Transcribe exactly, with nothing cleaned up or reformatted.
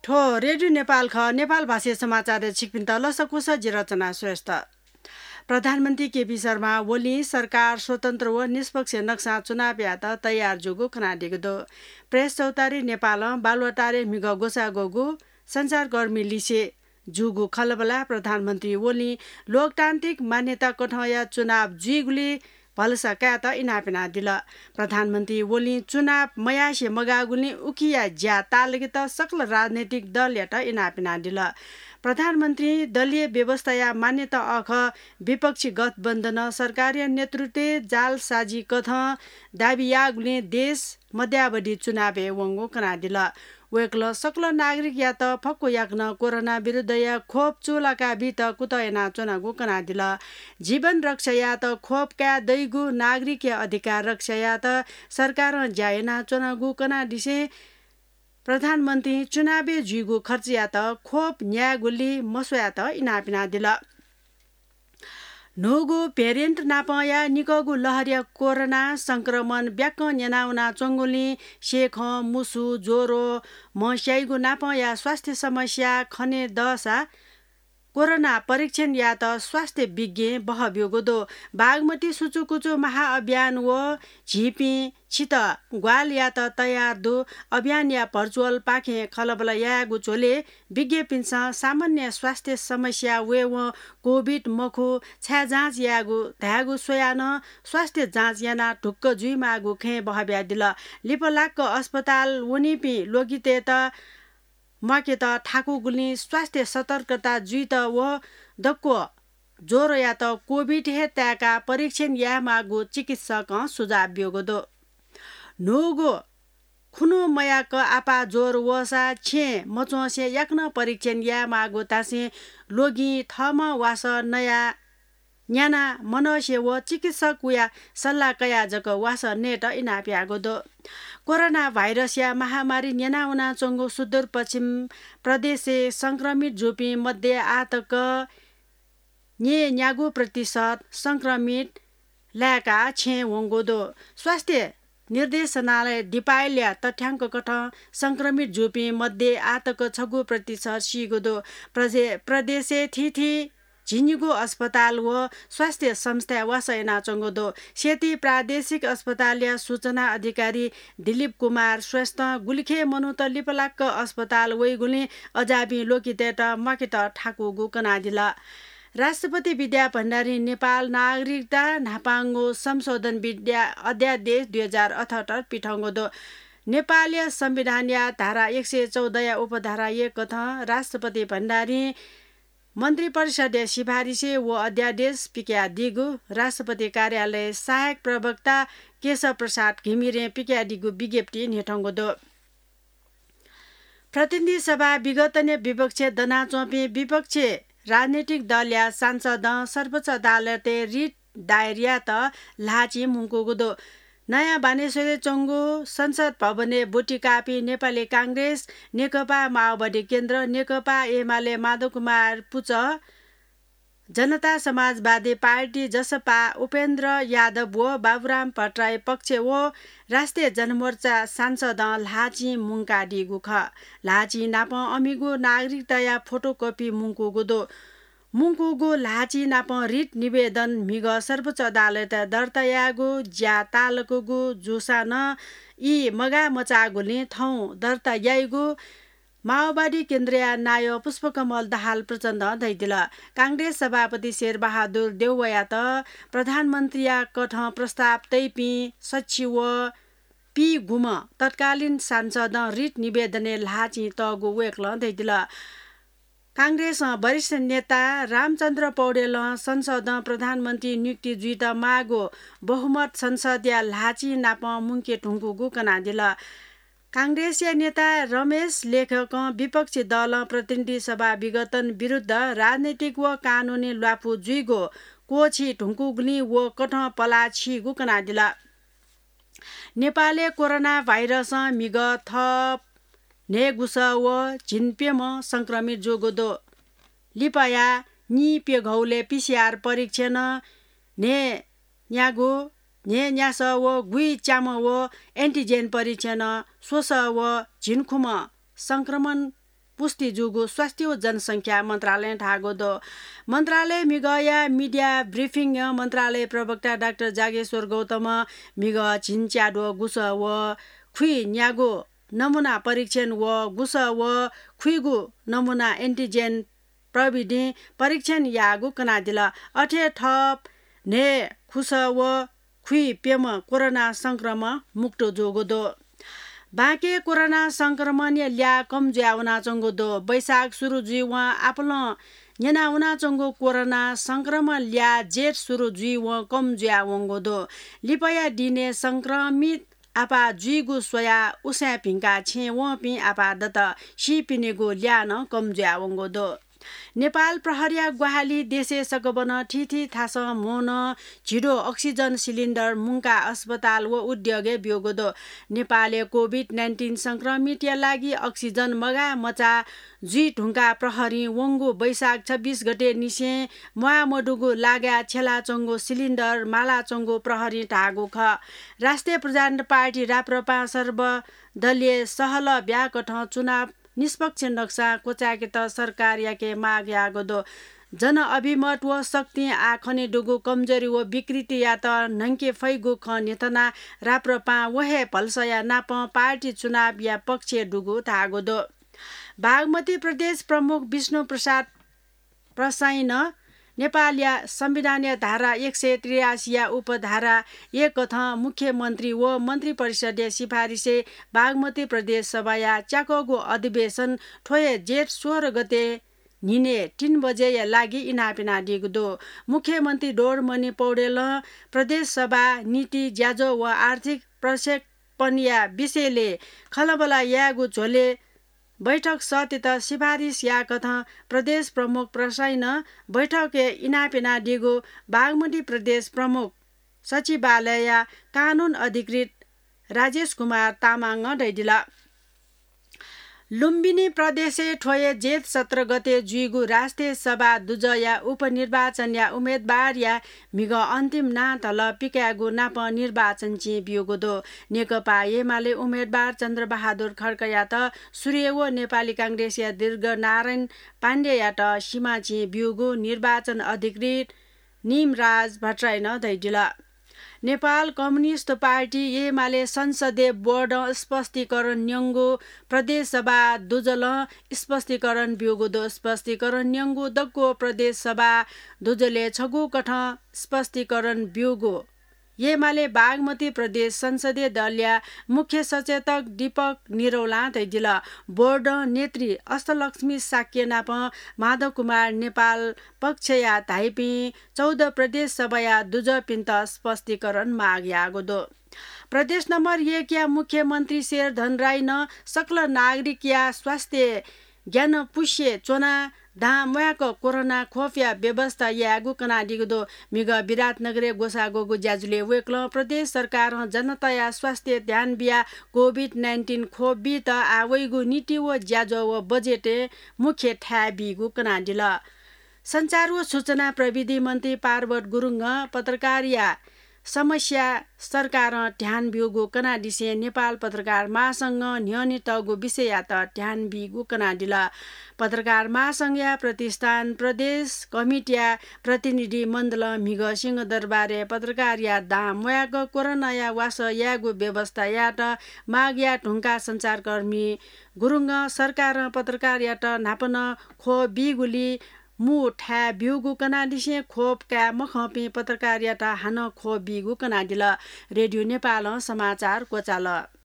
थ्व रेडियो नेपाल खः। नेपाल भाषाया समाचारय् छिकपिन्त लसकुस, जि रचना श्रेष्ठ। प्रधानमन्त्री केपी शर्मा ओलीं सरकार स्वतन्त्र व निष्पक्ष नक्सां चुनाव यायेत तयार जूगु कनादीगु दु। प्रेस चौतारी नेपालं बालुवाटारय् म्हिगः ग्वसाः ग्वःगु सञ्चारकर्मी लिसे जूगु खँल्हाबल्हाय् प्रधानमन्त्री ओलीं लोकतान्त्रिक मान्यता कथंया चुनाव जुइगुलिइ भलसा कायेत इनाप यानादिल। प्रधानमन्त्री ओलीं चुनाव मयासें मगाःगुलिं उकिया ज्या ताःलाकेत सकल राजनैतिक दलयात इनाप यानादिल। प्रधानमन्त्रीं दलीय व्यवस्थाया मान्यता अःखः विपक्षी गठबन्धनं सरकारया नेतृत्वय् जालसाजी कथं दाबी याःगुलिं देश मध्यावधि चुनावय् वंगु कनादिल। वय्कलं सकल नागरिकयात फक्व याकनं कोरोना विरुद्धया खोप चूलाका बीत कुतः यानाच्वनागु कनादिल। जीवन रक्षा यायेत खोप काये दइगु नागरिकया अधिकार रक्षा यायेत सरकारं ज्या यानाच्वनागु कनादिसें प्रधानमन्त्रीं चुनावय् जुइगु खर्चयात खोप न्यायेगुलिइ मस्वयेत इनाप यानादिल। न्हूगु भेरिएन्ट नापंया निकःगु लहरया कोरोना संक्रमण ब्याकं न्यनावनाच्वंगुलिं सेखं, मुसु, ज्वरो, म्हस्याइगु नापंया स्वास्थ्य समस्या खने दःसा कोरोना परीक्षण यायेत स्वास्थ्य विज्ञ बहःब्यूगु दु। बागमती सुचुकुचु महाअभियान व झीपिं छित ग्वाहालि यायेत तयार दु अभियानया भर्चुअल पाखें खँल्हाबल्हा यायेगु झ्वलय् विज्ञपिन्सं सामान्य स्वास्थ्य समस्या वयेवं कोभिड मखु, छाय् जाँच यायेगु धायेगु स्वयाः नं स्वास्थ्य जाँच यानाः ढुक्क जुइमाःगु खँय् बहःब्यादिल। लिपलाक्क अस्पताल वनीपिं ल्वगितय्त म्वाकेत थाकूगुलिं स्वास्थ्य सतर्कता जुइत व दक्व ज्वरोयात कोभिड हे ताय्काः परीक्षण यायेमाःगु चिकित्सकं सुझाव ब्यूगु दु। न्हूगु खुन्हु मयाक आपाः ज्वरो वःसा छेँय् मच्वंसे याकनं परीक्षण यायेमाःगु धासें ल्वगिं थःम्हं वासः नयाः न्यानाः मनसे व चिकित्सकया सल्लाह कयाः जक वासः नयेत इनाप याःगु दु। कोरोना भाइरसया महामारी न्यनावनाच्वंगु सुदूरपश्चिम प्रदेशय् संक्रमित जूपिं मध्ये आःतक न्यय्‌न्यागू प्रतिशत संक्रमित लाय्काः छेँय् वंगु दु। स्वास्थ्य निर्देशनालय दिपायलया तथ्यांक कथं संक्रमित जूपिं मध्ये आःतक छगू प्रतिशत सीगु दु। प्रजे-, प्रदेशय् थीथी झिंनिगू अस्पताल व स्वास्थ्य संस्थाय् वासः यानाच्वंगु दु। सेती प्रादेशिक अस्पतालया सूचना अधिकारी दिलीप कुमार श्रेष्ठं गुलिखे मनूत लिपलाक्क अस्पताल वइगुलिं अज्याःपिं ल्वगितय्त म्वाकेत थाकूगु कनादिल। राष्ट्रपति विद्या भण्डारीं नेपाल नागरिकता न्हापांगु संशोधन विद्या अध्यादेश दुई हजार अठहत्तर पिथंगु दु। नेपालया संविधानया धारा एक सय चौधया उपधारा एक कथं राष्ट्रपति भण्डारीं मन्त्रिपरिषदया सिफारिसय् व अध्यादेश पिकयादीगु राष्ट्रपति कार्यालय सहायक प्रवक्ता केशव प्रसाद घिमिरें पिकयादीगु विज्ञप्तिइ न्ह्यथंगु दु। प्रतिनिधि सभा विघटनय् विपक्षय् दनाच्वंपिं विपक्षी राजनैतिक दलया सांसदं सर्वोच्च अदालतय् रिट दायर यायेत ल्हाःचिं मुंकूगु दु। नयाँ बानेश्वरय् च्वंगु संसद भवनय् ब्वति काःपिं नेपाली कांग्रेस, नेकपा माओवादी केन्द्र, नेकपा एमाले माधव कुमार पुचः, जनता समाजवादी पार्टी, जसपा उपेन्द्र यादव व बाबुराम भट्टराई पक्ष व राष्ट्रिय जनमोर्चा सांसदं ल्हाःचिं मुंकादीगु खः। ल्हाःचिं नापं अमिगु नागरिकताया फोटोकपि मुंकूगु दु। मुंकूगु ल्हाःचिं नापं रिट निवेदन म्हिगः सर्वोच्च अदालतय् दर्ता यायेगु ज्या ताःलाकूगु जूसां नं ई मगाः मचाःगुलिं थौं दर्ता याइगु माओवादी केन्द्रया नायः पुष्पकमल दाहाल प्रचण्डं धयादिल। कांग्रेस सभापति शेरबहादुर देउवायात प्रधानमन्त्रीया कथं प्रस्ताव तइपिं सच्छि व पीगुम्ह तत्कालीन सांसदं रिट निवेदनय् ल्हाःचिं तःगु वय्कलं धयादिल। कांग्रेसं वरिष्ठ नेता रामचन्द्र पौडेलं संसदं प्रधानमन्त्री नियुक्ति जुइत माःगु बहुमत संसदया ल्हाःचिं नापं मुंके धुंकूगु कनादिल। कांग्रेसया नेता रमेश लेखकं विपक्षी दलं प्रतिनिधि सभा विघटन विरुद्ध राजनैतिक व कानूनी ल्वापु जुइगु क्वःछी धुंकूगुलिं व कथं पलाः छीगु कनादिल। नेपालय् कोरोना भाइरसं म्हिगः थप न्हय्‌गुसः व झिंप्यम्ह संक्रमित जूगु दु। लिपाया नीप्यघौलय् पीसीआर परीक्षणं न्हय्‌न्यागू, न्हय्‌न्यासः व गुइच्याम्ह व एन्टिजेन परीक्षणं स्वसः व झिंखुम्ह संक्रमण पुष्टि जूगु स्वास्थ्य व जनसंख्या मन्त्रालयं धाःगु दु। मन्त्रालय म्हिगःया media briefing-य् मन्त्रालय प्रवक्ता डाक्टर जागेश्वर गौतमं म्हिगः झिंच्याद्वः गुसः व खुइन्यागू नमूना परीक्षण व गुसः व खुइगू नमूना antigen प्रविधिं परीक्षण याःगु कनादिल। अथे थप न्हय् खुसः व खुइप्यम्ह कोरोना संक्रमण मुक्त जूगु दु। बांके कोरोना संक्रमणया ल्याः कम जुया वनाच्वंगु दु। वैशाख सुरु जुइवं आपालं न्यना वनाच्वंगु कोरोना संक्रमण ल्याः जेठ सुरु जुइवं कम जुया वंगु दु। लिपाया दिनय् संक्रमित आपाः जुइगु स्वयाः उसाँय् भिंकाः छेँय् वंपिं आपाः दत। सीपिनिगु ल्याः नं कम जुया वंगु दु। नेपाल प्रहरीया ग्वाहालि देशय् सकभनं थीथी थासं म्होनं झिद्वः oxygen cylinder मुंकाः अस्पताल व उद्योगय् ब्यूगु दु। नेपालय् COVID nineteen संक्रमितया लागि oxygen मगाः मचाः जुइ धुंकाः प्रहरीं वंगु वैशाख छब्बिस गते निसें म्वाः मदुगु लागाय् छ्यलाच्वंगु cylinder मालाच्वंगु प्रहरीं धाःगु खः। राष्ट्रिय प्रजातन्त्र पार्टी राप्रपां सर्वदलीय सहलह ब्याकथं चुनाव निष्पक्ष नक्सां क्वचाय्केत सरकारयाके माग याःगु दु। जनअभिमत व शक्तिं आः खनेदुगु कमजोरी व विकृतियात न्हंके फइगु खँ न्ह्यथनाः राप्रपां व हे भलसाया नापं पार्टी चुनावया पक्षय् दुगु धाःगु दु। बागमती प्रदेश प्रमुख विष्णु प्रसाद प्रसाईं नेपालया संविधानया धारा एक सय त्रियासीया उपधारा एककथं मुख्यमन्त्री व मन्त्रिपरिषदया सिफारिसय् बागमती प्रदेश सभाया च्याकःगु अधिवेशन थ्व हे जेठ सोह्र गते न्हिनय् तीन बजेया लागि इनाप यानादीगु दु। मुख्यमन्त्री डोरमणि पौडेलं प्रदेश सभा नीति, ज्याझ्वः व आर्थिक प्रक्षेपणया विषयलय् खँल्हाबल्हा यायेगु झ्वलय् बैठक सःतेत सिफारिस याःकथं प्रदेश प्रमुख प्रसाईं बैठकय् इनाप यानादीगु बागमती प्रदेश प्रमुख सचिवालयया कानून अधिकृत राजेश कुमार तामाङं धयादिल। लुम्बिनी प्रदेशय् थ्व हे जेठ सत्र गते जुइगु राष्ट्रिय सभा दुजःया उपनिर्वाचनया उम्मेदवारया म्हिगः अन्तिम नां धलः पिकायेगु नापं निर्वाचन चिं ब्यूगु दु। नेकपा एमाले उम्मेदवार चन्द्रबहादुर खड्कायात सूर्य व नेपाली कांग्रेसया दीर्घनारायण पाण्डेयात सिमा चिं ब्यूगु निर्वाचन अधिकृत निमराज भट्टराईं धयादिल। नेपाल कम्युनिस्ट पार्टी एमाले संसदीय बोर्डं स्पष्टीकरण न्यंगु प्रदेश सभा दुजलं स्पष्टीकरण ब्यूगु दु। स्पष्टीकरण न्यंगु दक्व प्रदेश सभा दुजलय् छगू कथं स्पष्टीकरण ब्यूगु एमाले बागमती प्रदेश संसदीय दलया मुख्य सचेतक दीपक निरौलां धयादिल। बोर्डं नेतृ अष्टलक्ष्मी शाक्य नाप माधव कुमार नेपाल पक्षया धाइपिं चौध प्रदेश सभाया दुजःपिन्त स्पष्टीकरण माग याःगु दु। प्रदेश नम्बर एकया मुख्यमन्त्री शेरधन राईं सकल नागरिकया स्वास्थ्य ग्यानापुसे च्वनाः दां म्वाय्क कोरोना खोपया व्यवस्था यायेगु कनादीगु दु। म्हिगः विराटनगरय् ग्वसाः ग्वःगु ज्याझ्वलय् वय्कलं प्रदेश सरकारं जनताया स्वास्थ्य ध्यान बियाः COVID nineteen खोप बीत आः वइगु नीति व ज्याझ्वः व बजेटय् मुख्य थाय् बीगु कनादिल। सञ्चार व सूचना प्रविधि मन्त्री पार्वत गुरुङं पत्रकारया समस्या सरकारं ध्यान ब्यूगु कनादिसें नेपाल पत्रकार महासंघं न्ह्यःने तःगु विषययात ध्यान बीगु कनादिल। पत्रकार महासंघया प्रतिष्ठान प्रदेश कमिटीया प्रतिनिधि मण्डलं म्हिगः सिंहदरबारय् पत्रकारया दां म्वाय्क कोरोनाया वासः यायेगु व्यवस्था यायेत माग याये धुंकाः सञ्चारकर्मी गुरुङं सरकारं पत्रकारयात न्हापा नं खोप बीगुली मू थाय् ब्यूगु कनादिसें खोप काये मखंपिं पत्रकारयात हानं खोप बीगु कनादिल। रेडियो नेपालं समाचार क्वचाल।